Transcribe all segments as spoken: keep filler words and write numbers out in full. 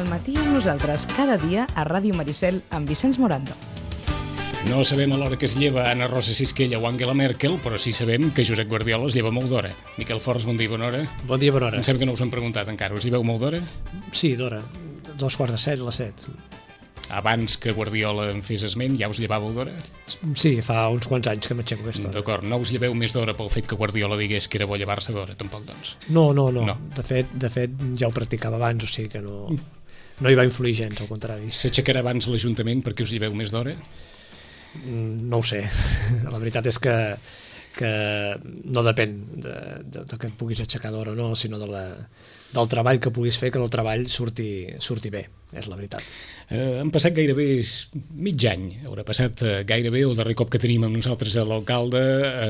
al matí amb nosaltres cada dia a Ràdio Maricel amb Vicenç Morando. No sabem a l'hora que es lleva Anna Rosa Sisquella o Angela Merkel, però sí sabem que Josep Guardiola es lleva molt d'hora. Miquel Forns, bon dia, bona hora. Bon dia, bona hora. Em sembla que no us han preguntat encara, us hi veu molt d'hora? Sí, d'hora. Dos quarts de set, a les set. Abans que Guardiola en fes esment, ja us llevàveu d'hora? Sí, fa uns quants anys que m'aixeco aquesta hora. D'acord, no us lleveu més d'hora pel fet que Guardiola digués que era bo llevar-se d'hora, tampoc, doncs? No, no, no. No. De fet, de fet, ja ho practicava abans, o sigui que no, no hi va influir gens, al contrari. S'aixecarà abans l'Ajuntament perquè us lleveu més d'hora? No ho sé. La veritat és que, que no depèn de, de, de que et puguis aixecar d'hora o no, sinó de la, del treball que puguis fer, que el treball surti, surti bé, és la veritat. Eh, han passat gairebé mig any, haurà passat eh, gairebé, el darrer cop que tenim amb nosaltres l'alcalde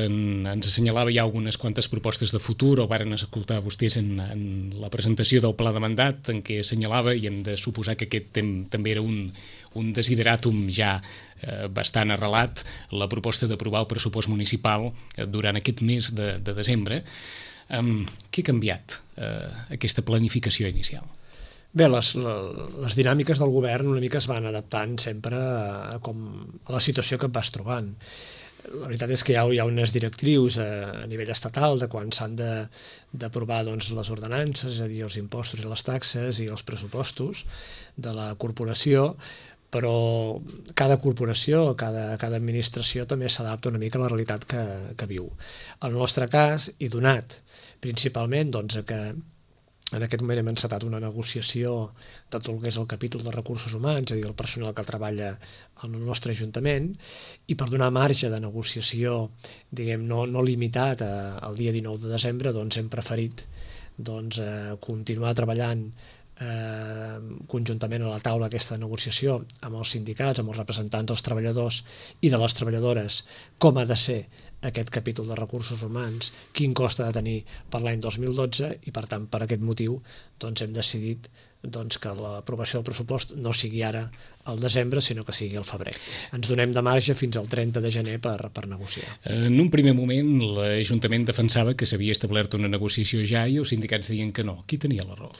en, ens assenyalava ja algunes quantes propostes de futur, o varen escoltar vostès en, en la presentació del pla de mandat, en què assenyalava, i hem de suposar que aquest tem, també era un, un desideratum ja eh, bastant arrelat, la proposta d'aprovar el pressupost municipal eh, durant aquest mes de, de desembre. Um, què ha canviat eh, aquesta planificació inicial? Bé, les, les dinàmiques del govern una mica es van adaptant sempre a, com, a la situació que et vas trobant. La veritat és que hi ha, hi ha unes directrius a, a nivell estatal de quan s'han d'aprovar doncs, les ordenances, és a dir, els impostos i les taxes i els pressupostos de la corporació, però cada corporació, cada, cada administració també s'adapta una mica a la realitat que, que viu. En el nostre cas, i donat principalment doncs, a que en aquest moment hem encetat una negociació de tot el que és el capítol de recursos humans, és a dir, el personal que treballa al nostre Ajuntament, i per donar marge de negociació, diguem, no, no limitat a, al dia dinou de desembre, doncs hem preferit doncs, eh, continuar treballant eh, conjuntament a la taula aquesta negociació amb els sindicats, amb els representants dels treballadors i de les treballadores, com ha de ser aquest capítol de recursos humans, quin cost ha de tenir per l'any dos mil dotze, i per tant per aquest motiu doncs, hem decidit doncs, que l'aprovació del pressupost no sigui ara al desembre, sinó que sigui al febrer. Ens donem de marge fins al trenta de gener per, per negociar. En un primer moment l'Ajuntament defensava que s'havia establert una negociació ja i els sindicats deien que no. Qui tenia la raó?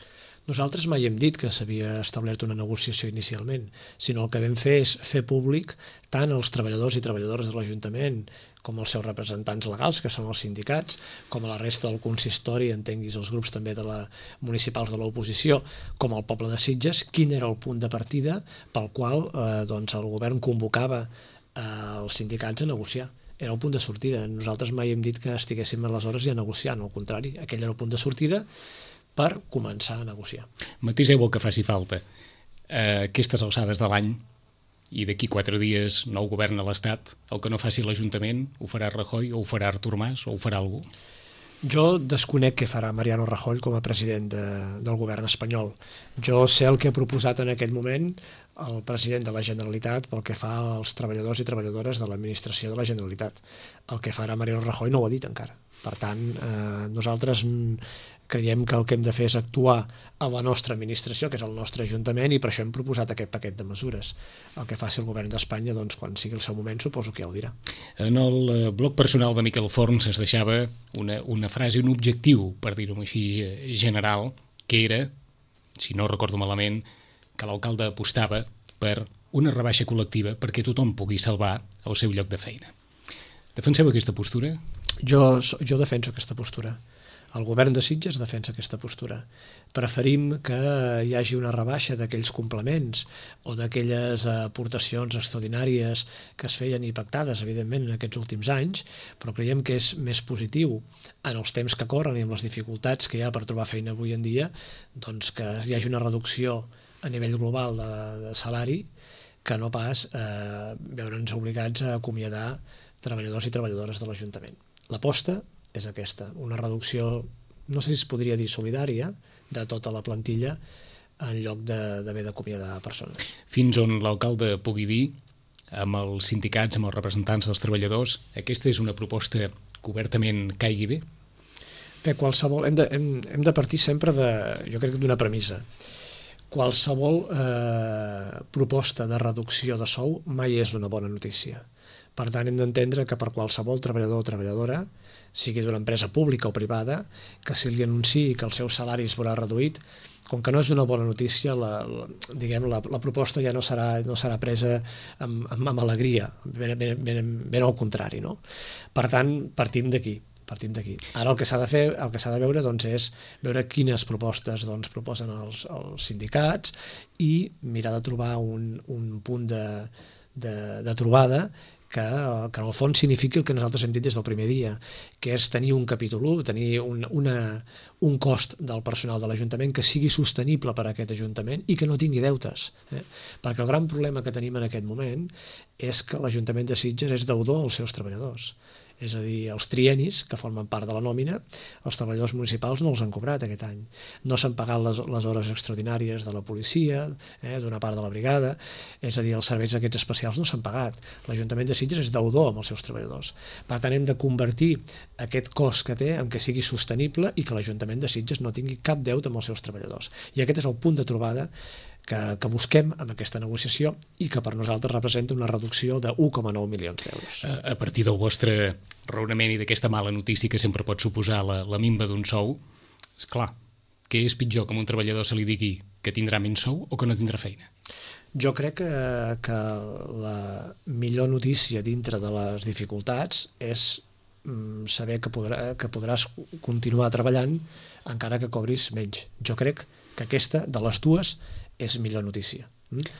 Nosaltres mai hem dit que s'havia establert una negociació inicialment, sinó el que vam fer és fer públic tant els treballadors i treballadores de l'Ajuntament com els seus representants legals, que són els sindicats, com a la resta del consistori, entenguis els grups també de la municipals de l'oposició, com el poble de Sitges, quin era el punt de partida pel qual eh, doncs el govern convocava eh, els sindicats a negociar. Era el punt de sortida. Nosaltres mai hem dit que estiguéssim aleshores ja negociant, al contrari, aquell era el punt de sortida per començar a negociar. Matiseu el que faci falta. Eh, aquestes alçades de l'any, i d'aquí quatre dies nou govern a l'Estat, el que no faci l'Ajuntament ho farà Rajoy o ho farà Artur Mas o ho farà algú? Jo desconec què farà Mariano Rajoy com a president de, del govern espanyol. Jo sé el que ha proposat en aquest moment el president de la Generalitat pel que fa als treballadors i treballadores de l'administració de la Generalitat. El que farà Mariano Rajoy no ho ha dit encara. Per tant, eh, nosaltres creiem que el que hem de fer és actuar a la nostra administració, que és el nostre Ajuntament, i per això hem proposat aquest paquet de mesures. El que faci el govern d'Espanya, doncs, quan sigui el seu moment, suposo que ja ho dirà. En el blog personal de Miquel Forns es deixava una, una frase, un objectiu, per dir-ho així, general, que era, si no recordo malament, que l'alcalde apostava per una rebaixa col·lectiva perquè tothom pugui salvar el seu lloc de feina. Defenseu aquesta postura? Jo, jo defenso aquesta postura. El govern de Sitges defensa aquesta postura. Preferim que hi hagi una rebaixa d'aquells complements o d'aquelles aportacions extraordinàries que es feien i pactades, evidentment, en aquests últims anys, però creiem que és més positiu en els temps que corren i amb les dificultats que hi ha per trobar feina avui en dia, doncs que hi hagi una reducció a nivell global de, de salari que no pas eh, veure'ns obligats a acomiadar treballadors i treballadores de l'Ajuntament. L'aposta és aquesta, una reducció, no sé si es podria dir solidària, de tota la plantilla en lloc d'haver d'acomiadar persones. Fins on l'alcalde pugui dir, amb els sindicats, amb els representants dels treballadors, aquesta és una proposta que obertament caigui bé? Bé, qualsevol, hem de, hem, hem de partir sempre de, jo crec, d'una premissa. Qualsevol eh, proposta de reducció de sou mai és una bona notícia. Per tant, hem d'entendre que per qualsevol treballador o treballadora, sigui d'una empresa pública o privada, que si li anunciï que el seu salari es veurà reduït, com que no és una bona notícia, la, la, diguem, la, la proposta ja no serà, no serà presa amb, amb, amb alegria, ben, ben, ben, ben al contrari, no? Per tant, partim d'aquí. Partim d'aquí. Ara el que s'ha de fer, el que s'ha de veure doncs, és veure quines propostes doncs, proposen els, els sindicats i mirar de trobar un, un punt de, de, de trobada que, que en el fons signifiqui el que nosaltres hem dit des del primer dia, que és tenir un capítol u, tenir un, una, un cost del personal de l'Ajuntament que sigui sostenible per a aquest Ajuntament i que no tingui deutes. Eh? Perquè el gran problema que tenim en aquest moment és que l'Ajuntament de Sitges és deudor als seus treballadors. És a dir, els trienis, que formen part de la nòmina, els treballadors municipals no els han cobrat aquest any. No s'han pagat les, les hores extraordinàries de la policia, eh, d'una part de la brigada, és a dir, els serveis aquests especials no s'han pagat. L'Ajuntament de Sitges és deudor amb els seus treballadors. Per tant, hem de convertir aquest cost que té en que sigui sostenible i que l'Ajuntament de Sitges no tingui cap deute amb els seus treballadors. I aquest és el punt de trobada que, que busquem amb aquesta negociació i que per nosaltres representa una reducció de un coma nou milions d'euros. A, a partir del vostre raonament i d'aquesta mala notícia que sempre pot suposar la, la minva d'un sou, és clar, què és pitjor que a un treballador se li digui que tindrà menys sou o que no tindrà feina? Jo crec que, que la millor notícia dintre de les dificultats és mm, saber que, podrà, que podràs continuar treballant encara que cobris menys. Jo crec que aquesta, de les dues, és millor notícia,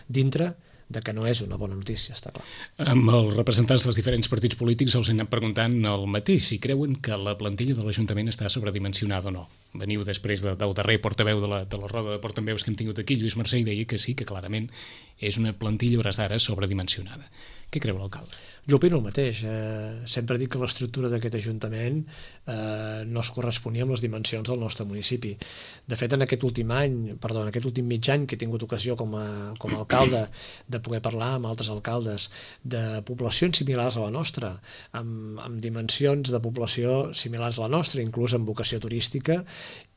dintre de que no és una bona notícia, està clar. Amb els representants dels diferents partits polítics els he anat preguntant el mateix, si creuen que la plantilla de l'Ajuntament està sobredimensionada o no. Veniu després de, del darrer portaveu de la, de la roda de portaveus que hem tingut aquí, Lluís Mercè, i deia que sí, que clarament és una plantilla a hores d'ara sobredimensionada. Què creu l'alcalde? Jo opino el mateix. Eh, sempre dic que l'estructura d'aquest Ajuntament eh, no es corresponia amb les dimensions del nostre municipi. De fet, en aquest últim any, perdó, en aquest últim mig any que he tingut ocasió com a, com a alcalde de poder parlar amb altres alcaldes de poblacions similars a la nostra, amb, amb dimensions de població similars a la nostra, inclús amb vocació turística,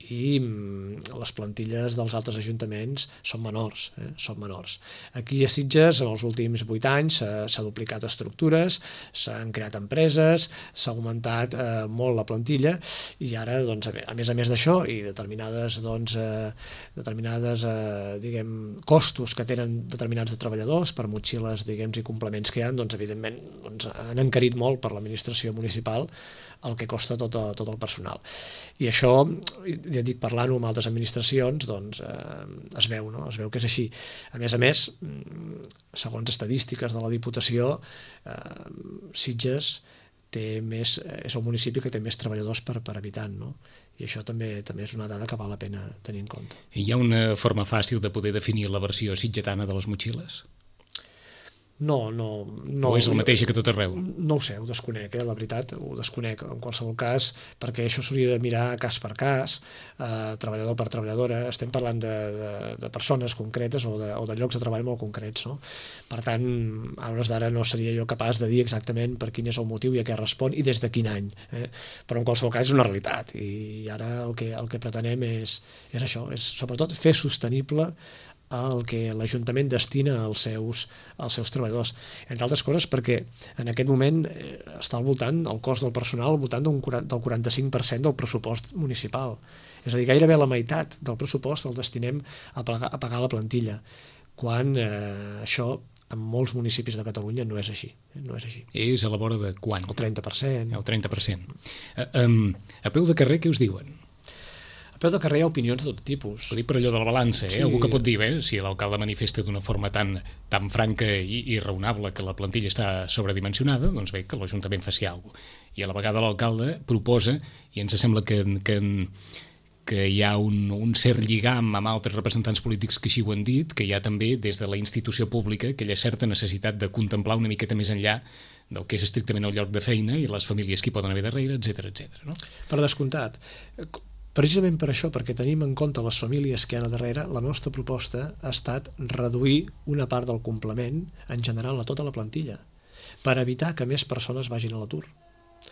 i les plantilles dels altres ajuntaments són menors, eh? són menors. Aquí a Sitges, en els últims vuit anys, s'ha duplicat estructures, s'han creat empreses, s'ha augmentat eh, molt la plantilla, i ara, doncs, a més a més d'això, i determinades, doncs, eh, determinades eh, diguem, costos que tenen determinats de treballadors per motxilles, diguem, i complements que hi ha, doncs, evidentment, doncs, han encarit molt per l'administració municipal el que costa tot, tot el personal. I això, ja dic, parlant-ho amb altres administracions, doncs eh, es veu, no? Es veu que és així. A més a més, segons estadístiques de la Diputació, eh, Sitges té més, és el municipi que té més treballadors per, per habitant, no? I això també també és una dada que val la pena tenir en compte. Hi ha una forma fàcil de poder definir la versió sitgetana de les motxilles? No, no, no. O és el mateix que tot arreu? No ho sé, ho desconec, eh, la veritat, ho desconec en qualsevol cas, perquè això s'hauria de mirar cas per cas, eh, treballador per treballadora, estem parlant de, de, de persones concretes o de, o de llocs de treball molt concrets, no? Per tant, a hores d'ara no seria jo capaç de dir exactament per quin és el motiu i a què respon i des de quin any, eh? Però en qualsevol cas és una realitat, i ara el que, el que pretenem és, és això, és sobretot fer sostenible el que l'Ajuntament destina als seus, als seus treballadors. Entre altres coses perquè en aquest moment eh, està al voltant, el cost del personal al voltant d'un, del quaranta-cinc per cent del pressupost municipal. És a dir, gairebé la meitat del pressupost el destinem a pagar, a pagar la plantilla, quan eh, això en molts municipis de Catalunya no és així. No és així. És a la vora de quan? El trenta per cent. El trenta per cent. A, um, a peu de carrer, què us diuen? A peu de carrer hi ha opinions de tot tipus. Ho dic per allò de la balança, eh? Sí. Algú que pot dir, bé, si l'alcalde manifesta d'una forma tan, tan franca i, i raonable que la plantilla està sobredimensionada, doncs bé, que l'Ajuntament faci alguna cosa. I a la vegada l'alcalde proposa, i ens sembla que, que, que hi ha un, un cert lligam amb altres representants polítics que així ho han dit, que hi ha també des de la institució pública aquella certa necessitat de contemplar una miqueta més enllà del que és estrictament el lloc de feina i les famílies que hi poden haver darrere, etcètera, etcètera, no? Per descomptat. Precisament per això, perquè tenim en compte les famílies que hi ha a darrere, la nostra proposta ha estat reduir una part del complement en general a tota la plantilla, per evitar que més persones vagin a l'atur.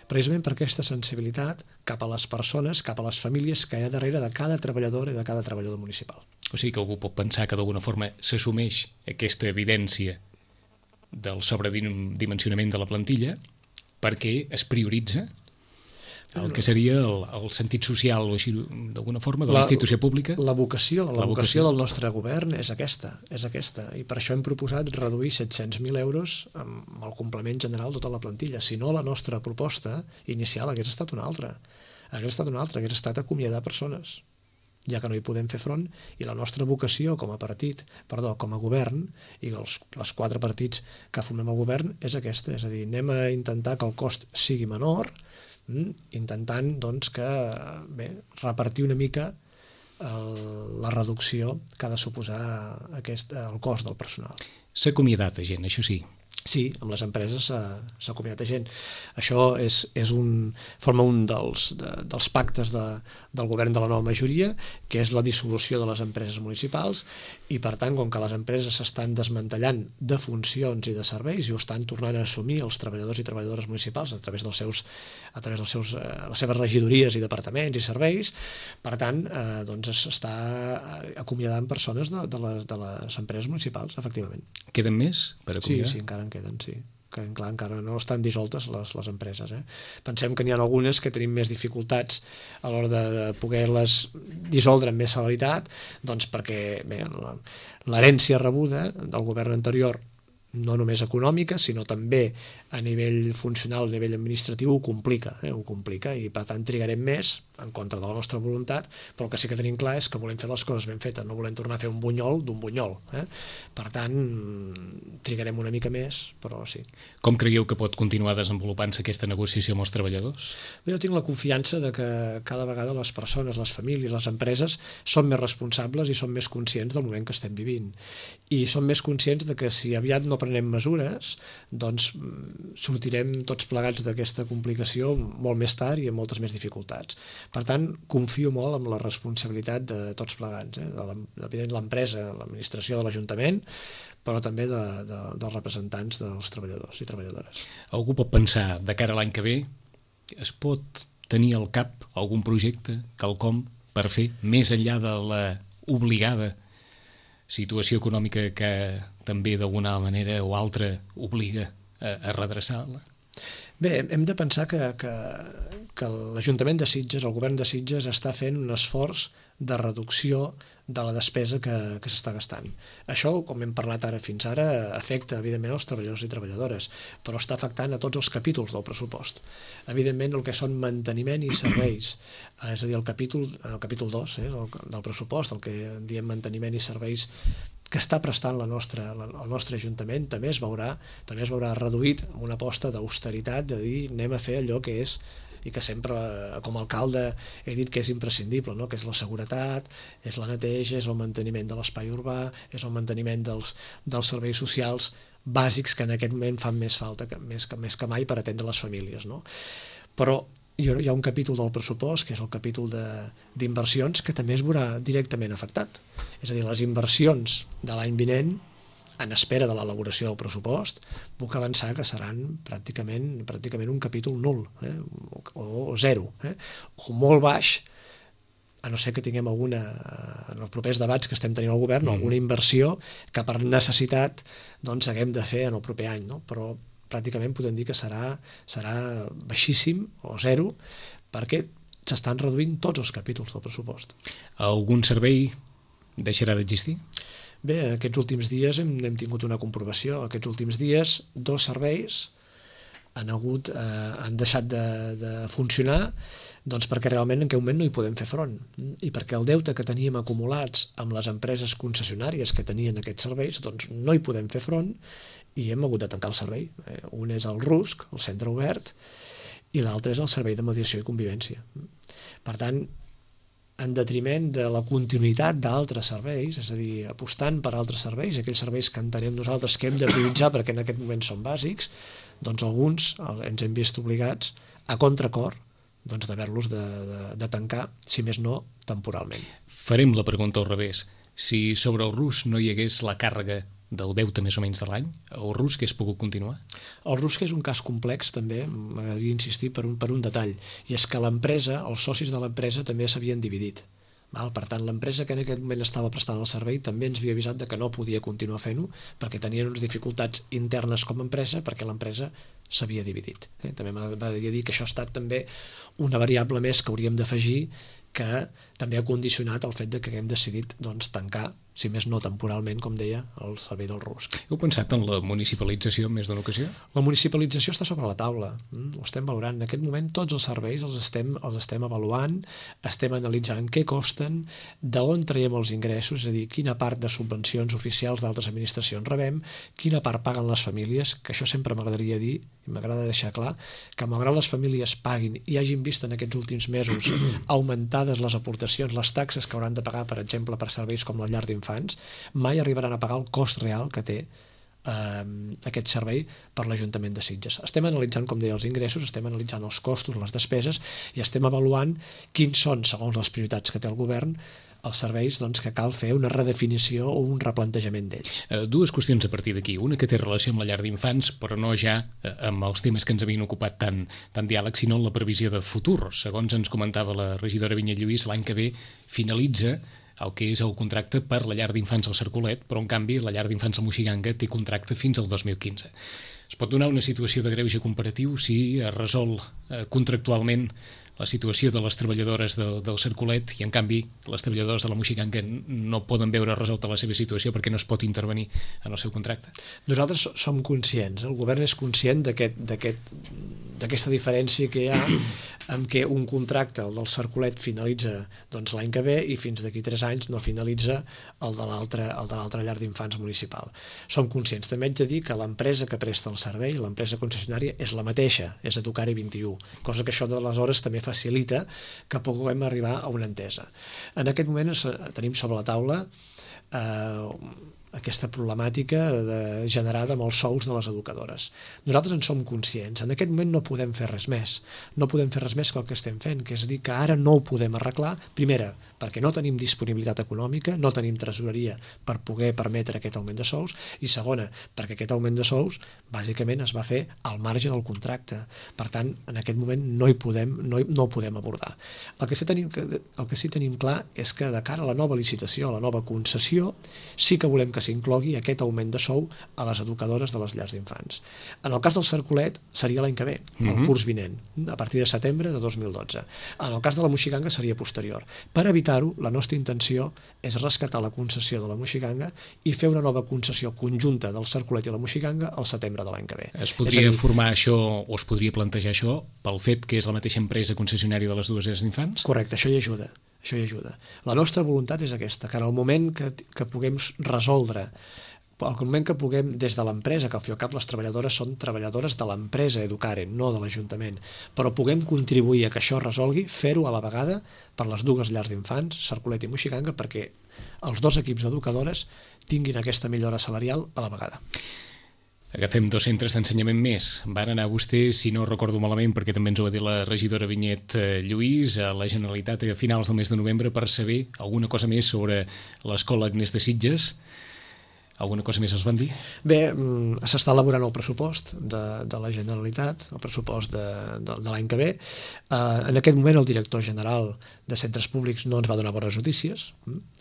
Precisament per aquesta sensibilitat cap a les persones, cap a les famílies que hi ha darrere de cada treballador i de cada treballador municipal. O sigui que algú pot pensar que d'alguna forma s'assumeix aquesta evidència del sobredimensionament de la plantilla perquè es prioritza? el que seria el, el sentit social o així d'alguna forma de la, la institució pública. La vocació, la, la vocació, vocació del nostre govern és aquesta, és aquesta, i per això hem proposat reduir set-cents mil euros amb el complement general de tota la plantilla. Si no, la nostra proposta inicial hagués estat una altra, hagués estat una altra, hagués estat acomiadar persones, ja que no hi podem fer front, i la nostra vocació com a partit, perdó, com a govern, i els, els quatre partits que formem el govern és aquesta, és a dir, anem a intentar que el cost sigui menor, intentant doncs, que, bé, repartir una mica el, la reducció que ha de suposar aquest, el cost del personal. S'ha acomiadat a gent, això sí. Sí, amb les empreses s'ha acomiadat a gent. Això és, és un, forma un dels, de, dels pactes de, del govern de la nova majoria, que és la dissolució de les empreses municipals, i per tant, com que les empreses s'estan desmantellant de funcions i de serveis i ho estan tornant a assumir els treballadors i treballadores municipals a través dels seus, a través dels seus, eh, les seves regidories i departaments i serveis, per tant, eh, doncs s'està acomiadant persones de, de, les, de les empreses municipals, efectivament. Queden més per acomiadar? Sí, sí, encara en queden, sí. Que, clar, encara no estan dissoltes les, les empreses. Eh? Pensem que n'hi ha algunes que tenim més dificultats a l'hora de, de poder-les dissoldre amb més celeritat, doncs perquè bé, l'herència rebuda del govern anterior, no només econòmica, sinó també a nivell funcional, a nivell administratiu, ho complica, eh? ho complica, i per tant trigarem més, en contra de la nostra voluntat, però el que sí que tenim clar és que volem fer les coses ben fetes, no volem tornar a fer un bunyol d'un bunyol. Eh? Per tant, trigarem una mica més, però sí. Com creieu que pot continuar desenvolupant-se aquesta negociació amb els treballadors? Jo tinc la confiança de que cada vegada les persones, les famílies, les empreses són més responsables i són més conscients del moment que estem vivint. I són més conscients de que si aviat no prenem mesures, doncs sortirem tots plegats d'aquesta complicació molt més tard i amb moltes més dificultats. Per tant, confio molt en la responsabilitat de tots plegats, eh? de l'empresa, l'administració de l'Ajuntament, però també de, de, dels representants dels treballadors i treballadores. Algú pot pensar, de cara a l'any que ve, es pot tenir al cap algun projecte, quelcom, per fer, més enllà de la obligada situació econòmica que també d'alguna manera o altra obliga a, a redreçar-la? Bé, hem de pensar que, que, que l'Ajuntament de Sitges, el govern de Sitges, està fent un esforç de reducció de la despesa que, que s'està gastant. Això, com hem parlat ara fins ara, afecta, evidentment, els treballadors i treballadores, però està afectant a tots els capítols del pressupost. Evidentment, el que són manteniment i serveis, és a dir, el capítol, el capítol dos eh, del pressupost, el que en diem manteniment i serveis, que està prestant la nostra, la, el nostre Ajuntament, també es veurà, també es veurà reduït amb una aposta d'austeritat, de dir anem a fer allò que és, i que sempre, com a alcalde, he dit que és imprescindible, no? Que és la seguretat, és la neteja, és el manteniment de l'espai urbà, és el manteniment dels, dels serveis socials bàsics que en aquest moment fan més falta, que, més, que, més que mai per atendre les famílies. No? Però hi ha un capítol del pressupost, que és el capítol d'inversions, que també es veurà directament afectat. És a dir, les inversions de l'any vinent, en espera de l'elaboració del pressupost, puc avançar que seran pràcticament, pràcticament un capítol nul, eh? o, o zero, eh? o molt baix, a no ser que tinguem alguna, en els propers debats que estem tenint al govern, mm. alguna inversió que per necessitat doncs, haguem de fer en el proper any, no? Però pràcticament podem dir que serà, serà baixíssim o zero, perquè s'estan reduint tots els capítols del pressupost. Algun servei deixarà d'existir? Bé, aquests últims dies hem, hem tingut una comprovació. Aquests últims dies, dos serveis han, hagut, eh, han deixat de, de funcionar doncs perquè realment en aquest moment no hi podem fer front. I perquè el deute que teníem acumulats amb les empreses concessionàries que tenien aquests serveis, doncs no hi podem fer front i hem hagut de tancar el servei. Un és el RUSC, el centre obert, i l'altre és el servei de mediació i convivència. Per tant, en detriment de la continuïtat d'altres serveis, és a dir, apostant per altres serveis, aquells serveis que entenem nosaltres que hem de prioritzar perquè en aquest moment són bàsics, doncs alguns ens hem vist obligats a contracor doncs d'haver-los de, de, de tancar, si més no, temporalment. Farem la pregunta al revés. Si sobre el RUSC no hi hagués la càrrega del deute més o menys de l'any, el RUSC hagués pogut continuar? El RUSC és un cas complex també, m'agradaria insistir per un, per un detall, i és que l'empresa, els socis de l'empresa també s'havien dividit. Val? Per tant, l'empresa que en aquest moment estava prestant el servei també ens havia avisat de que no podia continuar fent-ho perquè tenien unes dificultats internes com a empresa, perquè l'empresa s'havia dividit. Eh? També m'agradaria dir que això ha estat també una variable més que hauríem d'afegir, que també ha condicionat el fet de que haguem decidit doncs, tancar, si més no temporalment, com deia, el servei del rusc. Heu pensat en la municipalització en més d'una ocasió? La municipalització està sobre la taula, ho estem valorant. En aquest moment tots els serveis els estem, els estem avaluant, estem analitzant què costen, d'on traiem els ingressos, és a dir, quina part de subvencions oficials d'altres administracions rebem, quina part paguen les famílies, que això sempre m'agradaria dir, i m'agrada deixar clar, que malgrat les famílies paguin i hagin vist en aquests últims mesos augmentades les aportacions, les taxes que hauran de pagar, per exemple, per serveis com la llar d'infants, mai arribaran a pagar el cost real que té eh, aquest servei per l'Ajuntament de Sitges. Estem analitzant, com deia, els ingressos, estem analitzant els costos, les despeses, i estem avaluant quins són, segons les prioritats que té el govern, els serveis doncs, que cal fer una redefinició o un replantejament d'ells. Uh, dues qüestions a partir d'aquí. Una que té relació amb la llar d'infants, però no ja uh, amb els temes que ens havien ocupat tant, tant diàleg, sinó en la previsió de futur. Segons ens comentava la regidora Vinyet Lluís, l'any que ve finalitza el que és el contracte per la llar d'infants al Cercolet, però en canvi la llar d'infants al Moixiganga té contracte fins al dos mil quinze. Es pot donar una situació de greuge comparatiu si es resol eh, contractualment la situació de les treballadores de, del Cercolet i en canvi les treballadores de la Moixiganga no poden veure resolta la seva situació perquè no es pot intervenir en el seu contracte. Nosaltres som conscients, el govern és conscient d'aquest, d'aquest, d'aquesta diferència que hi ha en què un contracte, el del Cercolet, finalitza doncs, l'any que ve i fins d'aquí tres anys no finalitza el de l'altra el de l'altra llar d'infants municipal. Som conscients. També haig de dir que l'empresa que presta el servei, l'empresa concessionària, és la mateixa, és Educare vint i u, cosa que això d'aleshores també facilita que puguem arribar a una entesa. En aquest moment tenim sobre la taula eh, aquesta problemàtica de, generada amb els sous de les educadores. Nosaltres en som conscients. En aquest moment no podem fer res més. No podem fer res més que el que estem fent, que és dir que ara no ho podem arreglar. Primera, perquè no tenim disponibilitat econòmica, no tenim tresoreria per poder permetre aquest augment de sous, i segona, perquè aquest augment de sous bàsicament es va fer al marge del contracte. Per tant, en aquest moment no hi podem, no, hi, no ho podem abordar. El que, sí tenim, el que sí tenim clar és que de cara a la nova licitació, a la nova concessió, sí que volem que s'inclogui aquest augment de sou a les educadores de les llars d'infants. En el cas del Cercolet seria l'any que ve, el uh-huh. curs vinent, a partir de setembre de dos mil dotze. En el cas de la Moixiganga seria posterior. Per evitar-ho, la nostra intenció és rescatar la concessió de la Moixiganga i fer una nova concessió conjunta del Cercolet i la Moixiganga al setembre de l'any que ve. Es podria dir, formar això o es podria plantejar això pel fet que és la mateixa empresa concessionària de les dues llars d'infants? Correcte, això hi ajuda. Això hi ajuda. La nostra voluntat és aquesta, que en el moment que, que puguem resoldre, al moment que puguem, des de l'empresa, que al fi i al cap les treballadores són treballadores de l'empresa Educare, no de l'Ajuntament, però puguem contribuir a que això resolgui, fer-ho a la vegada per les dues llars d'infants, Cercolet i Moixiganga, perquè els dos equips d'educadores tinguin aquesta millora salarial a la vegada. Agafem dos centres d'ensenyament més. Van anar vostès, si no recordo malament, perquè també ens ho va dir la regidora Vinyet Lluís, a la Generalitat a finals del mes de novembre per saber alguna cosa més sobre l'Escola Agnès de Sitges. Alguna cosa més els van dir? Bé, s'està elaborant el pressupost de, de la Generalitat, el pressupost de, de, de l'any que ve. Uh, en aquest moment el director general de centres públics no ens va donar bones notícies,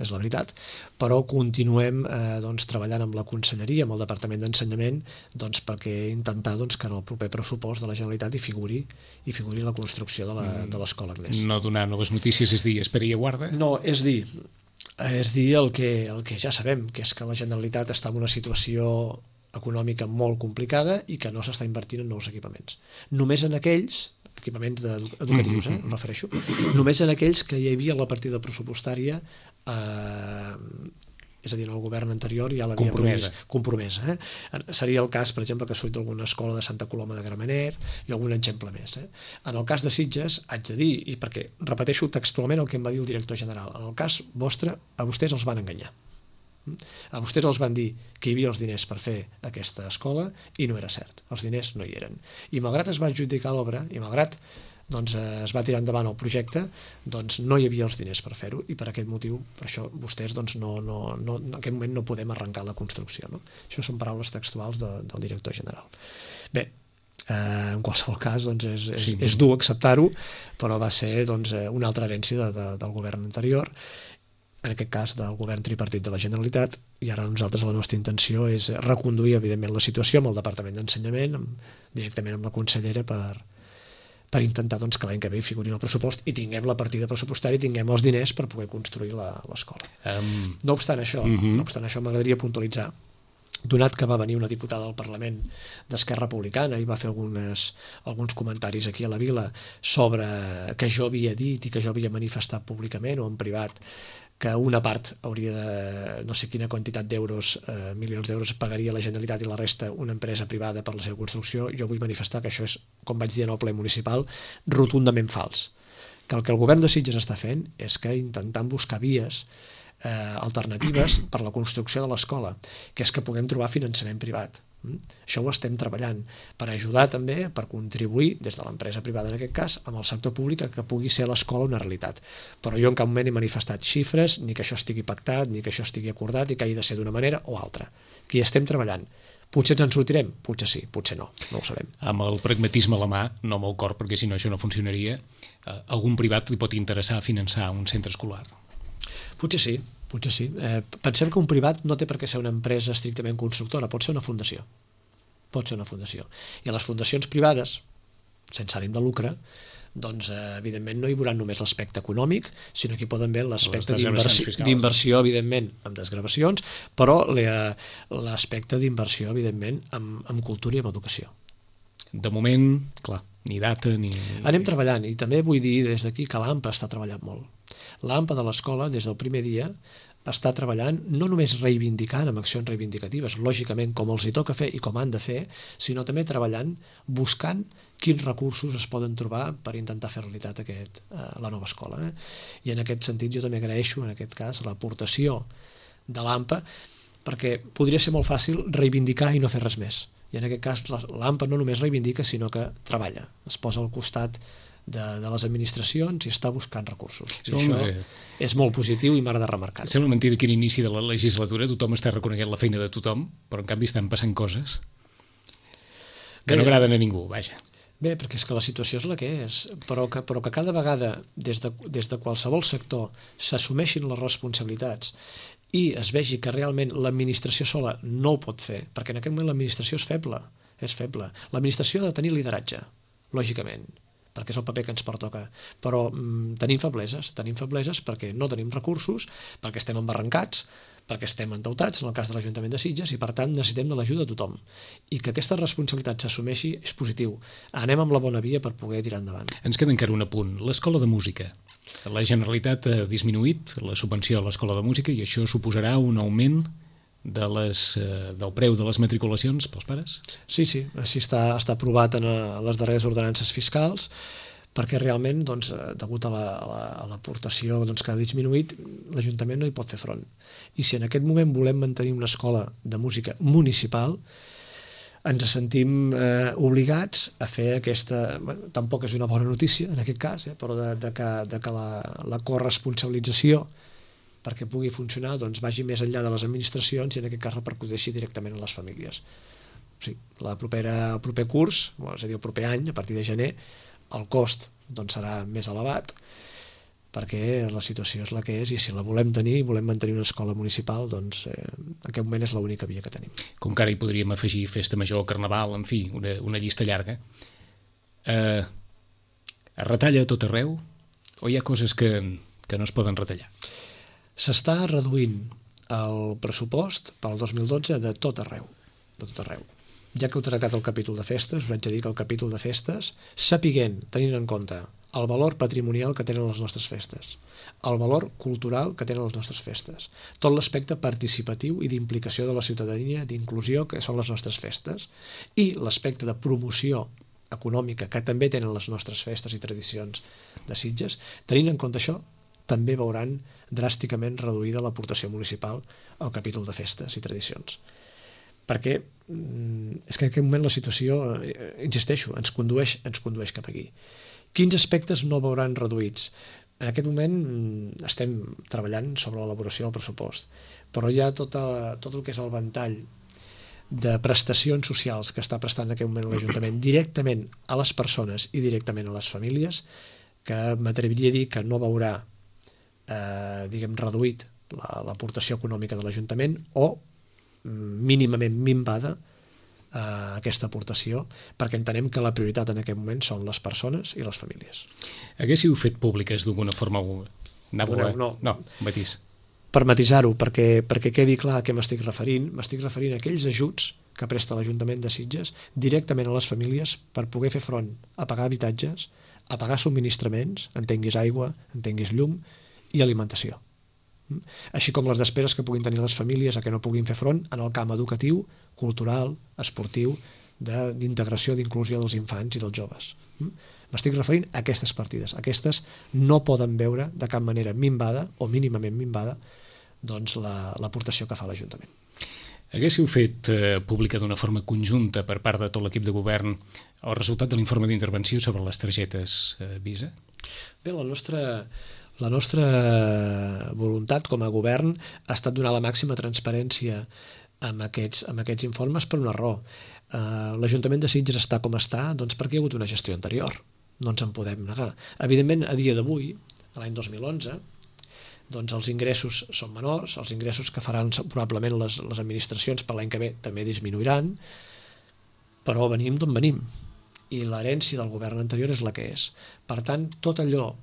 és la veritat, però continuem uh, doncs, treballant amb la Conselleria, amb el Departament d'Ensenyament, doncs, perquè intentar doncs, que en el proper pressupost de la Generalitat hi figuri, hi figuri la construcció de l'Escola Agnès. No donar noves notícies és dir, espera i aguarda? No, és dir... és dir el que, el que ja sabem, que és que la Generalitat està en una situació econòmica molt complicada i que no s'està invertint en nous equipaments. Només en aquells, equipaments educatius, eh, em refereixo, només en aquells que hi havia la partida pressupostària eh, és a dir, en el govern anterior ja l'havia compromesa. compromesa eh? Seria el cas, per exemple, que surt d'alguna escola de Santa Coloma de Gramenet i algun exemple més. Eh? En el cas de Sitges, haig de dir, i perquè repeteixo textualment el que em va dir el director general, en el cas vostre, a vostès els van enganyar. A vostès els van dir que hi havia els diners per fer aquesta escola i no era cert, els diners no hi eren. I malgrat es va adjudicar l'obra, i malgrat doncs, es va tirar endavant el projecte, doncs no hi havia els diners per fer-ho i per aquest motiu, per això vostès doncs, no, no, no, en aquest moment no podem arrencar la construcció. No? Això són paraules textuals de, del director general. Bé, eh, en qualsevol cas doncs, és, és, sí. és dur acceptar-ho, però va ser doncs, una altra herència de, de, del govern anterior en aquest cas del govern tripartit de la Generalitat, i ara nosaltres la nostra intenció és reconduir, evidentment, la situació amb el Departament d'Ensenyament, amb, directament amb la consellera, per, per intentar doncs, que l'any que ve hi figuri en el pressupost i tinguem la partida pressupostària i tinguem els diners per poder construir l'escola. Um... No obstant això, uh-huh. no obstant això, m'agradaria puntualitzar, donat que va venir una diputada al Parlament d'Esquerra Republicana i va fer algunes, alguns comentaris aquí a la Vila sobre que jo havia dit i que jo havia manifestat públicament o en privat que una part hauria de, no sé quina quantitat d'euros, eh, milions d'euros, pagaria la Generalitat i la resta una empresa privada per la seva construcció, jo vull manifestar que això és, com vaig dir en el ple municipal, rotundament fals. Que el que el govern de Sitges està fent és que intentant buscar vies eh, alternatives per la construcció de l'escola, que és que puguem trobar finançament privat. Això ho estem treballant per ajudar també, per contribuir des de l'empresa privada en aquest cas, amb el sector públic que pugui ser l'escola una realitat. Però jo en cap moment he manifestat xifres, ni que això estigui pactat, ni que això estigui acordat i que hagi de ser d'una manera o altra. Que hi estem treballant. Potser ens en sortirem? Potser sí, potser no, no ho sabem. Amb el pragmatisme a la mà, no amb el cor, perquè si no això no funcionaria, eh, algun privat li pot interessar finançar un centre escolar? Potser sí, potser sí. Eh, pensem que un privat no té per què ser una empresa estrictament constructora, pot ser una fundació. Pot ser una fundació. I a les fundacions privades, sense ànim de lucre, doncs eh, evidentment no hi veurà només l'aspecte econòmic, sinó que hi poden haver l'aspecte d'inversió, evidentment, amb desgravacions, però l'aspecte d'inversió, evidentment, amb, amb cultura i amb educació. De moment, clar, ni data ni... Anem treballant, i també vull dir des d'aquí que l'A M P A està treballant molt. L'A M P A de l'escola, des del primer dia, està treballant no només reivindicant amb accions reivindicatives, lògicament com els hi toca fer i com han de fer, sinó també treballant, buscant quins recursos es poden trobar per intentar fer realitat aquest, eh, la nova escola. Eh? I en aquest sentit jo també agraeixo, en aquest cas, l'aportació de l'A M P A, perquè podria ser molt fàcil reivindicar i no fer res més. I en aquest cas l'A M P A no només reivindica, sinó que treballa, es posa al costat de, de les administracions i està buscant recursos. I això és molt positiu i m'agrada remarcar. Sembla mentida que a l'inici de la legislatura tothom està reconeguent la feina de tothom, però en canvi estan passant coses que no agraden a ningú, vaja. Bé, perquè és que la situació és la que és, però que, però que cada vegada des de, des de qualsevol sector s'assumeixin les responsabilitats i es vegi que realment l'administració sola no ho pot fer, perquè en aquest moment l'administració és feble, és feble. L'administració ha de tenir lideratge, lògicament, perquè és el paper que ens pertoca, però mm, tenim febleses, tenim febleses perquè no tenim recursos, perquè estem embarrancats, perquè estem endeutats, en el cas de l'Ajuntament de Sitges, i per tant necessitem de l'ajuda de tothom. I que aquesta responsabilitat s'assumeixi és positiu. Anem amb la bona via per poder tirar endavant. Ens queda encara un apunt. L'escola de música. La Generalitat ha disminuït la subvenció a l'escola de música i això suposarà un augment de les, del preu de les matriculacions pels pares? Sí, sí, així està, està aprovat en les darreres ordenances fiscals, perquè realment, doncs, degut a l'aportació la, doncs, que ha disminuït, l'Ajuntament no hi pot fer front. I si en aquest moment volem mantenir una escola de música municipal, ens sentim eh, obligats a fer aquesta... Bueno, tampoc és una bona notícia, en aquest cas, eh, però de, de que, de que la, la corresponsabilització perquè pugui funcionar, doncs vagi més enllà de les administracions i en aquest cas repercuteixi directament en les famílies. Sí, la propera, el proper curs, és a dir, el proper any, a partir de gener, el cost doncs, serà més elevat perquè la situació és la que és i si la volem tenir, volem mantenir una escola municipal, doncs eh, en aquest moment és l'única via que tenim. Com que ara hi podríem afegir festa major, carnaval, en fi, una, una llista llarga. Eh, es retalla a tot arreu o hi ha coses que, que no es poden retallar? S'està reduint el pressupost pel dos mil dotze de tot arreu, de tot arreu. Ja que heu tractat el capítol de festes, us haig de dir que el capítol de festes, sapiguent, tenint en compte el valor patrimonial que tenen les nostres festes, el valor cultural que tenen les nostres festes, tot l'aspecte participatiu i d'implicació de la ciutadania, d'inclusió que són les nostres festes, i l'aspecte de promoció econòmica que també tenen les nostres festes i tradicions de Sitges, tenint en compte això, també veuran dràsticament reduïda l'aportació municipal al capítol de festes i tradicions. Perquè és que en aquest moment la situació, insisteixo, ens condueix, ens condueix cap aquí. Quins aspectes no veuran reduïts? En aquest moment estem treballant sobre l'elaboració del pressupost, però hi ha tot, a, tot el que és el ventall de prestacions socials que està prestant en aquest moment l'Ajuntament directament a les persones i directament a les famílies, que m'atreviria a dir que no veurà Eh, diguem, reduït l'aportació econòmica de l'Ajuntament o mínimament minvada Uh, aquesta aportació, perquè entenem que la prioritat en aquest moment són les persones i les famílies. Haguéssiu fet públiques d'alguna forma? Anava, no, no, no, matís. Per matisar-ho, perquè, perquè quedi clar a què m'estic referint, m'estic referint a aquells ajuts que presta l'Ajuntament de Sitges directament a les famílies per poder fer front a pagar habitatges, a pagar subministraments, entenguis aigua, entenguis llum i alimentació. Així com les despeses que puguin tenir les famílies a què no puguin fer front en el camp educatiu, cultural, esportiu, d'integració, d'inclusió dels infants i dels joves. M'estic referint a aquestes partides. Aquestes no poden veure de cap manera minvada o mínimament minvada doncs, l'aportació que fa l'Ajuntament. Haguéssiu fet eh, pública d'una forma conjunta per part de tot l'equip de govern el resultat de l'informe d'intervenció sobre les targetes eh, Visa? Bé, la nostra... La nostra voluntat com a govern ha estat donar la màxima transparència amb aquests, amb aquests informes per una raó. Uh, L'Ajuntament de Sitges està com està doncs perquè hi ha hagut una gestió anterior. No ens en podem negar. Evidentment, a dia d'avui, l'any dos mil onze, doncs els ingressos són menors, els ingressos que faran probablement les, les administracions per l'any que ve també disminuiran, però venim d'on venim. I l'herència del govern anterior és la que és. Per tant, tot allò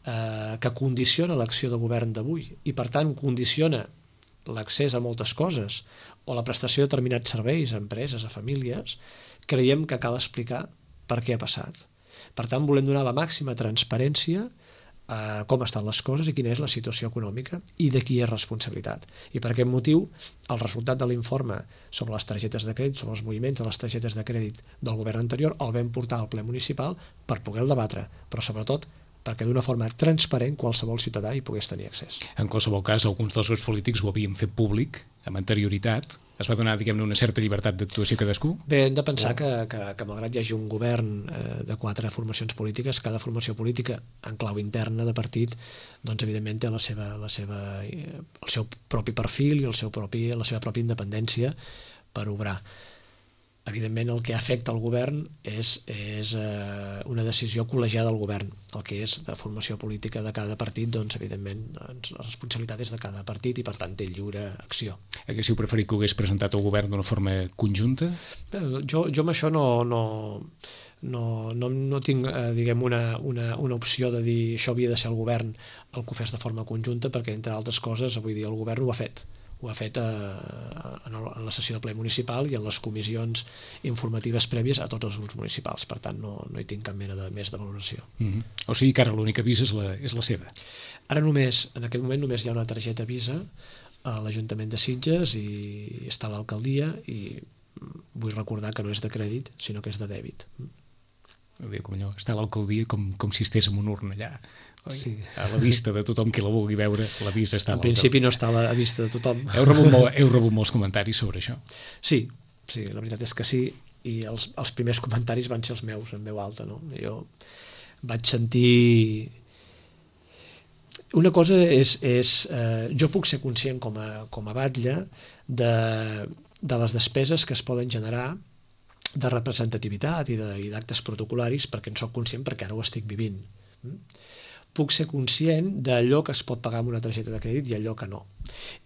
que condiciona l'acció de govern d'avui i per tant condiciona l'accés a moltes coses o la prestació de determinats serveis a empreses, a famílies, creiem que cal explicar per què ha passat. Per tant, volem donar la màxima transparència a com estan les coses i quina és la situació econòmica i de qui és responsabilitat. I per aquest motiu, el resultat de l'informe sobre les targetes de crèdit, sobre els moviments de les targetes de crèdit del govern anterior, el vam portar al ple municipal per poder el debatre, però sobretot perquè d'una forma transparent qualsevol ciutadà hi pogués tenir accés. En qualsevol cas, alguns dels grups polítics ho havien fet públic amb anterioritat. Es va donar, diguem-ne, una certa llibertat d'actuació a cadascú? Bé, hem de pensar que, que, que malgrat hi hagi un govern eh, de quatre formacions polítiques, cada formació política en clau interna de partit, doncs evidentment té la seva, la seva, eh, el seu propi perfil i el seu propi, la seva pròpia independència per obrar. Evidentment, el que afecta al govern és, és eh, una decisió col·legiada del govern. El que és de formació política de cada partit, doncs, evidentment, doncs, la responsabilitat és de cada partit i, per tant, té lliure acció. Haguéssiu preferit que ho hagués presentat el govern d'una forma conjunta? Bé, jo, jo amb això no, no, no, no, no tinc, eh, diguem, una, una, una opció de dir això havia de ser el govern el que ho fes de forma conjunta, perquè, entre altres coses, avui dia el govern ho ha fet. Ho ha fet a, en la sessió de ple municipal i en les comissions informatives prèvies a tots els grups municipals. Per tant, no, no hi tinc cap mena de més de valoració. Mm-hmm. O sigui que ara l'única Visa és la, és la seva? Ara només, en aquest moment només hi ha una targeta Visa a l'Ajuntament de Sitges i està a l'alcaldia i vull recordar que no és de crèdit, sinó que és de dèbit. Bé, com allò, està a l'alcaldia com, com si estigués en una urna allà. Sí. A la vista de tothom qui la vulgui veure, la Visa està a l'alcaldia. En principi no està a la vista de tothom. Heu rebut, molt, heu rebut molts comentaris sobre això? Sí, sí, la veritat és que sí, i els, els primers comentaris van ser els meus, en veu alta, no? Jo vaig sentir... Una cosa és... és eh, jo puc ser conscient com a, com a batlle de, de les despeses que es poden generar de representativitat i d'actes protocolaris, perquè en soc conscient perquè ara ho estic vivint. Puc ser conscient d'allò que es pot pagar amb una targeta de crèdit i allò que no.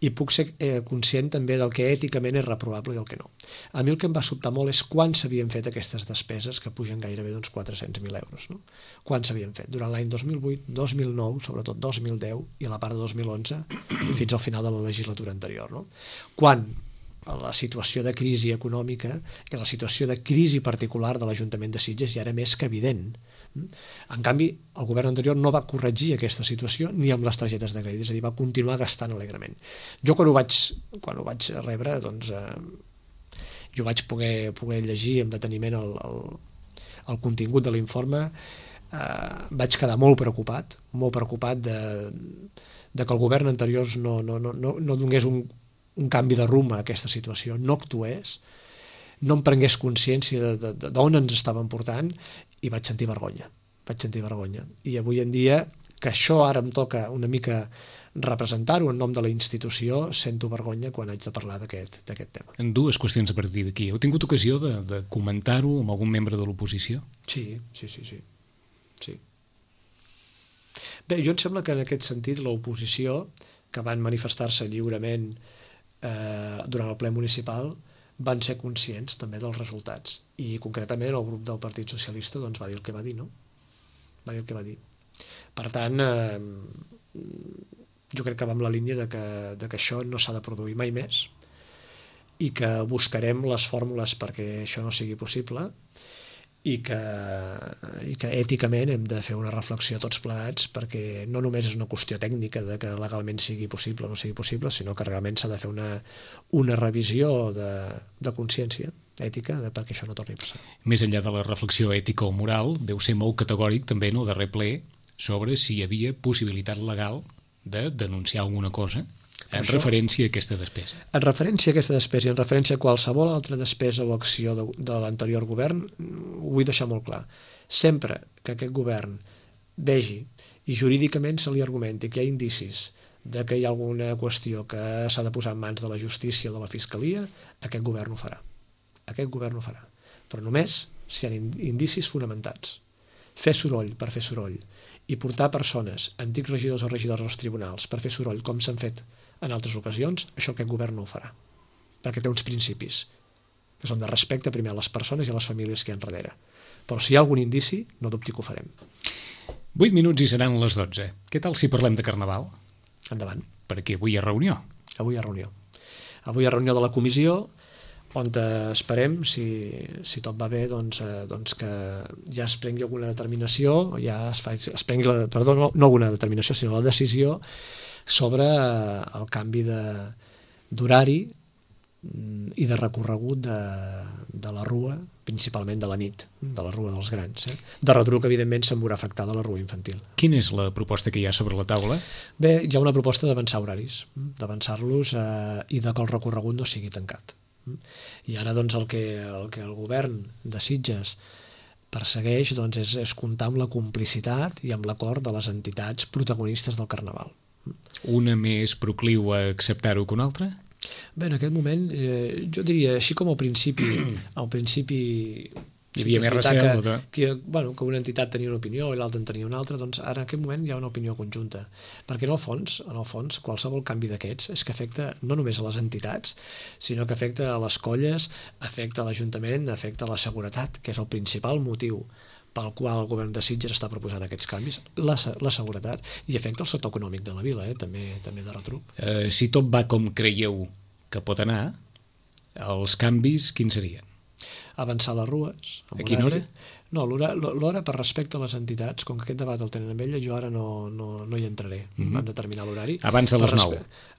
I puc ser eh, conscient també del que èticament és reprovable i del que no. A mi el que em va sobtar molt és quan s'havien fet aquestes despeses, que pugen gairebé d'uns quatre-cents mil euros. No? Quan s'havien fet? Durant l'any dos mil vuit, dos mil nou, sobretot dos mil deu i a la part de dos mil onze, fins al final de la legislatura anterior. No? Quan la situació de crisi econòmica i la situació de crisi particular de l'Ajuntament de Sitges ja era més que evident. En canvi, el govern anterior no va corregir aquesta situació ni amb les targetes de crèdit, és a dir, va continuar gastant alegrement. Jo quan ho vaig, quan ho vaig rebre, doncs, eh, jo vaig poder, poder llegir amb deteniment el, el, el contingut de l'informe, eh, vaig quedar molt preocupat, molt preocupat de, de que el govern anterior no, no, no, no, no donés un, un canvi de rumb a aquesta situació, no actués, no em prengués consciència d'on ens estaven portant i vaig sentir vergonya, vaig sentir vergonya. I avui en dia, que això ara em toca una mica representar-ho en nom de la institució, sento vergonya quan haig de parlar d'aquest tema. En dues qüestions a partir d'aquí. Heu tingut ocasió de, de comentar-ho amb algun membre de l'oposició? Sí, sí, sí, sí. sí. Bé, jo em sembla que en aquest sentit l'oposició que van manifestar-se lliurement eh, durant el ple municipal van ser conscients també dels resultats. I concretament el grup del Partit Socialista doncs, va dir el que va dir, no? Va dir el que va dir. Per tant, eh, jo crec que va en la línia de que, de que això no s'ha de produir mai més i que buscarem les fórmules perquè això no sigui possible i que, i que èticament hem de fer una reflexió tots plegats perquè no només és una qüestió tècnica de que legalment sigui possible o no sigui possible, sinó que realment s'ha de fer una, una revisió de, de consciència ètica de perquè això no torni a passar. Més enllà de la reflexió ètica o moral, veu ser molt categòric també en el darrer ple sobre si hi havia possibilitat legal de denunciar alguna cosa en això, referència a aquesta despesa. En referència a aquesta despesa i en referència a qualsevol altra despesa o acció de, de l'anterior govern, ho vull deixar molt clar. Sempre que aquest govern vegi i jurídicament se li argumenti que hi ha indicis de que hi ha alguna qüestió que s'ha de posar en mans de la justícia o de la fiscalia, aquest govern ho farà. Aquest govern ho farà. Però només si hi ha indicis fonamentats. Fer soroll per fer soroll i portar persones, antics regidors o regidors als tribunals per fer soroll com s'han fet en altres ocasions, això aquest govern no ho farà. Perquè té uns principis que són de respecte primer a les persones i a les famílies que hi ha darrere. Però si hi ha algun indici, no dubti que ho farem. Vuit minuts i seran les dotze. Què tal si parlem de Carnaval? Endavant. Perquè avui hi ha reunió. Avui hi ha reunió. Avui hi ha reunió de la comissió on esperem, si, si tot va bé, doncs, eh, doncs que ja es prengui alguna determinació, ja es, fa, es prengui, la, perdó, no, no alguna determinació, sinó la decisió sobre el canvi d'horari i de recorregut de, de la rua, principalment de la nit, de la rua dels grans. Eh? De retruc, evidentment, se'n veurà afectada la rua infantil. Quina és la proposta que hi ha sobre la taula? Bé, hi ha una proposta d'avançar horaris, d'avançar-los eh, i de que el recorregut no sigui tancat. I ara doncs, el, que, el que el govern de Sitges persegueix doncs, és, és comptar amb la complicitat i amb l'acord de les entitats protagonistes del Carnaval. Una més procliu a acceptar-ho que una altra? Bé, en aquest moment, eh, jo diria, així com al principi, al principi hi havia més recel que, que, bueno, que una entitat tenia una opinió i l'altra en tenia una altra, doncs ara en aquest moment hi ha una opinió conjunta, perquè en el fons, en el fons qualsevol canvi d'aquests és que afecta no només a les entitats, sinó que afecta a les colles, afecta a l'Ajuntament, afecta a la seguretat, que és el principal motiu pel qual el govern de Sitges està proposant aquests canvis, la, la seguretat, i afecta el sector econòmic de la vila, eh? també, també de retruc. Eh, si tot va com creieu que pot anar, els canvis quins serien? Avançar les rues. A quina hora? No, l'hora per respecte a les entitats, com que aquest debat el tenen amb ella, jo ara no, no, no hi entraré mm-hmm. en determinar l'horari. Abans de les nou?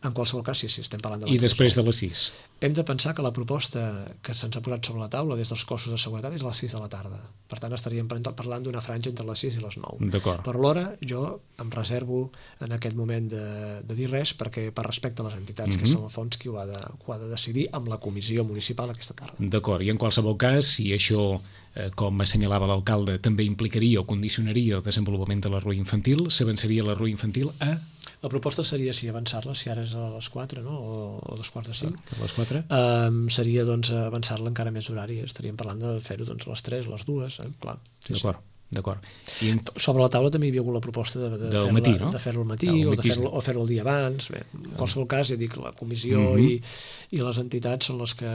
En qualsevol cas, sí, sí, estem parlant de I després de les sis? Hem de pensar que la proposta que se'ns ha posat sobre la taula des dels cossos de seguretat és a les sis de la tarda. Per tant, estaríem parlant d'una franja entre les sis i les nou. D'acord. Per l'hora, jo em reservo en aquest moment de, de dir res perquè per respecte a les entitats, mm-hmm. que són el fons qui ho ha, de, ho ha de decidir amb la comissió municipal aquesta tarda. D'acord, i en qualsevol cas, si això eh, com assenyalava l'alcalde, també implicaria o condicionaria el desenvolupament de la rua infantil, s'avançaria la rua infantil a... La proposta seria si avançar-la, si ara és a les quatre, no? o a dos quarts de cinc. A les quatre? Um, seria doncs, avançar-la encara més horari. Estaríem parlant de fer-ho doncs, a les tres, a les dues, eh? Clar. Sí, d'acord, sí. d'acord. I en... Sobre la taula també hi havia hagut la proposta de, de fer-lo matí, no? de fer-lo al matí, o de fer-lo fer el dia abans. Bé, en qualsevol cas, ja dic, la comissió mm-hmm. i, i les entitats són les que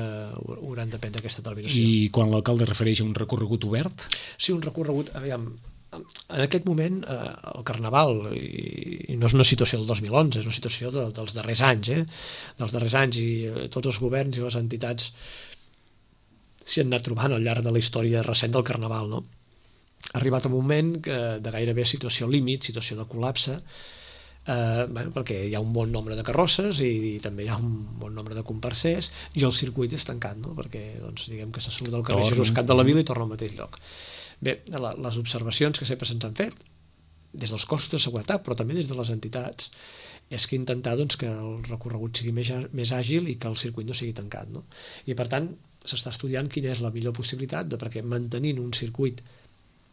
hauran de prendre aquesta determinació. I quan l'alcalde refereix a un recorregut obert? Sí, un recorregut, aviam, en aquest moment eh, el Carnaval, i, i no és una situació del dos mil onze, és una situació de, dels darrers anys, eh? dels darrers anys, i eh, tots els governs i les entitats s'hi han anat trobant al llarg de la història recent del Carnaval, no? Ha arribat un moment que, de gairebé situació límit, situació de col·lapse, eh, bueno, perquè hi ha un bon nombre de carrosses i, i també hi ha un bon nombre de comparsers i el circuit és tancat, no? Perquè doncs, diguem que se surt del carrer Jesús Cat de la Vila i torna al mateix lloc. Bé, la, les observacions que sempre se'ns han fet, des dels cossos de seguretat, però també des de les entitats, és que intentar doncs, que el recorregut sigui més, més àgil i que el circuit no sigui tancat. No? I per tant, s'està estudiant quina és la millor possibilitat de perquè mantenint un circuit,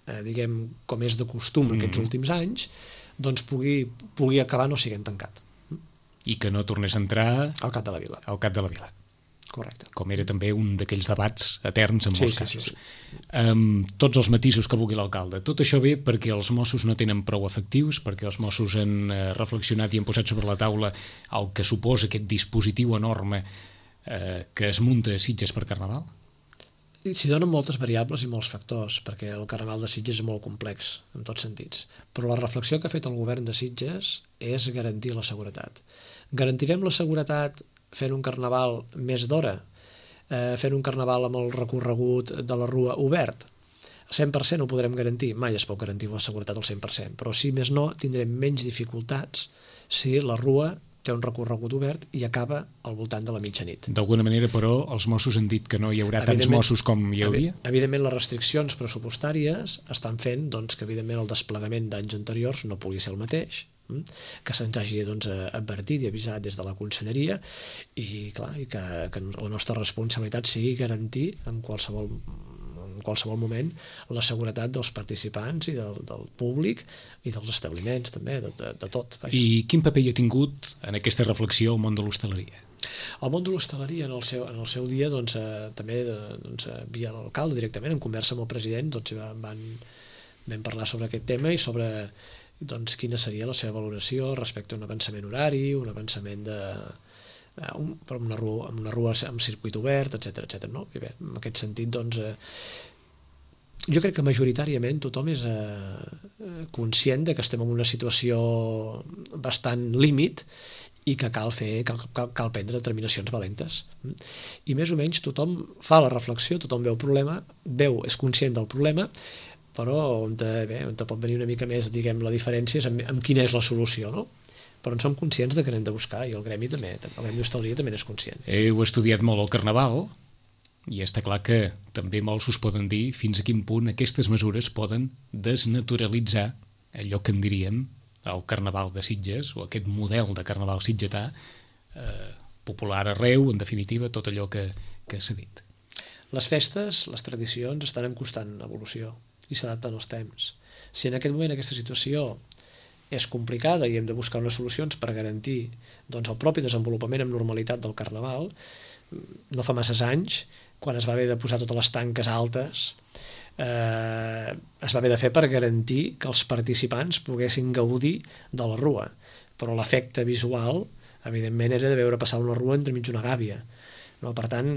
eh, diguem, com és de costum mm. aquests últims anys, doncs pugui, pugui acabar no siguent tancat. I que no tornés a entrar... Al Cap de la Vila. Al Cap de la Vila. Correcte. Com era també un d'aquells debats eterns en Sí, molts sí, casos. sí, sí. Amb tots els matisos que vulgui l'alcalde. Tot això ve perquè els Mossos no tenen prou efectius, perquè els Mossos han eh, reflexionat i han posat sobre la taula el que suposa aquest dispositiu enorme eh, que es munta a Sitges per Carnaval? S'hi donen moltes variables i molts factors, perquè el Carnaval de Sitges és molt complex, en tots sentits. Però la reflexió que ha fet el govern de Sitges és garantir la seguretat. Garantirem la seguretat fent un Carnaval més d'hora, eh, fent un Carnaval amb el recorregut de la Rua obert. Al cent per cent ho podrem garantir, mai es pot garantir la seguretat al cent per cent, però si més no tindrem menys dificultats si la Rua té un recorregut obert i acaba al voltant de la mitjanit. D'alguna manera, però, els Mossos han dit que no hi haurà tants Mossos com hi havia? Evidentment, les restriccions pressupostàries estan fent doncs, que, evidentment, el desplegament d'anys anteriors no pugui ser el mateix, que se'ns hagi doncs, advertit i avisat des de la conselleria i, clar, i que, que la nostra responsabilitat sigui garantir en qualsevol, en qualsevol moment la seguretat dels participants i del, del públic i dels establiments també, de, de, de tot. Vaja. I quin paper hi ha tingut en aquesta reflexió el món de l'hostaleria? El món de l'hostaleria en, el seu, en el seu dia doncs, eh, també doncs, via l'alcalde directament, en conversa amb el president doncs, van, van parlar sobre aquest tema i sobre doncs, quina seria la seva valoració respecte a un avançament horari, un avançament de eh, un, amb, una rua, amb una rua amb circuit obert, etcètera etcètera. No? I bé, en aquest sentit, doncs, eh, jo crec que majoritàriament tothom és eh, conscient de que estem en una situació bastant límit i que cal fer, cal, cal, cal prendre determinacions valentes. I més o menys tothom fa la reflexió, tothom veu el problema, veu, és conscient del problema, però on, te, bé, on te pot venir una mica més, diguem, la diferència és amb, amb quina és la solució, no? Però en som conscients de que n'hem de buscar, i el gremi també, el gremi d'hostaleria també n'és conscient. Heu estudiat molt el Carnaval, i està clar que també molts us poden dir fins a quin punt aquestes mesures poden desnaturalitzar allò que en diríem el Carnaval de Sitges, o aquest model de Carnaval sitgetà, eh, popular arreu, en definitiva, tot allò que, que s'ha dit. Les festes, les tradicions, estan en constant evolució i s'adapten als temps. Si en aquest moment aquesta situació és complicada i hem de buscar unes solucions per garantir doncs, el propi desenvolupament amb normalitat del Carnaval, no fa masses anys, quan es va haver de posar totes les tanques altes, eh, es va haver de fer per garantir que els participants poguessin gaudir de la rua. Però l'efecte visual, evidentment, era de veure passar una rua entremig d'una gàbia. No? Per tant,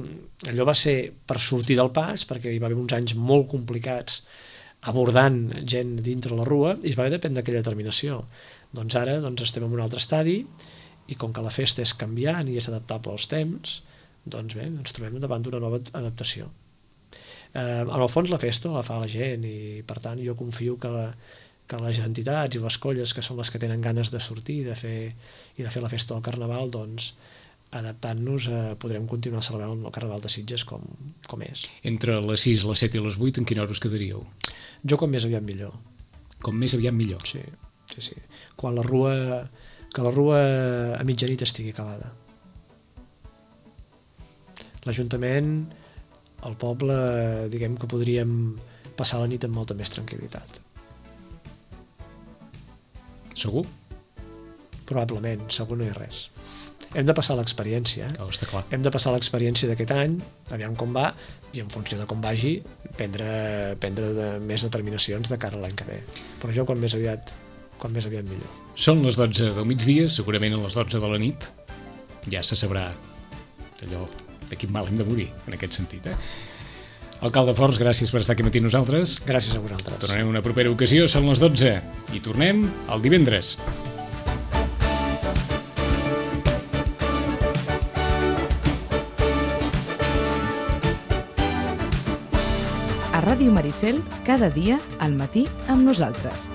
allò va ser per sortir del pas, perquè hi va haver uns anys molt complicats abordant gent dintre la rua i es va haver de prendre aquella determinació. Doncs ara doncs, estem en un altre estadi i com que la festa és canviant i és adaptable als temps, doncs bé, ens trobem davant d'una nova adaptació. Eh, en el fons la festa la fa la gent i per tant jo confio que, la, que les entitats i les colles que són les que tenen ganes de sortir de fer, i de fer la festa del Carnaval, doncs adaptant-nos eh, podrem continuar celebrant el Carnaval de Sitges com, com és. Entre les sis, les set i les vuit, en quina hora us quedaríeu? Jo com més aviat millor. Com més aviat millor? Sí, sí, sí. Quan la rua, que la rua a mitjanit estigui acabada. L'Ajuntament, el poble, diguem que podríem passar la nit amb molta més tranquil·litat. Segur? Probablement, segur no hi ha res. Hem de passar l'experiència. Oh, està clar. Hem de passar l'experiència d'aquest any, aviam com va, i en funció de com vagi, prendre, prendre de, més determinacions de cara a l'any que ve. Però jo quan més aviat, quan més aviat millor. Són les dotze del migdia, segurament a les dotze de la nit ja se sabrà allò de quin mal hem de morir, en aquest sentit. Eh? Alcalde Forns, gràcies per estar aquí matí nosaltres. Gràcies a vosaltres. Tornarem en una propera ocasió, són les dotze, i tornem el divendres. A Ràdio Maricel, cada dia al matí amb nosaltres.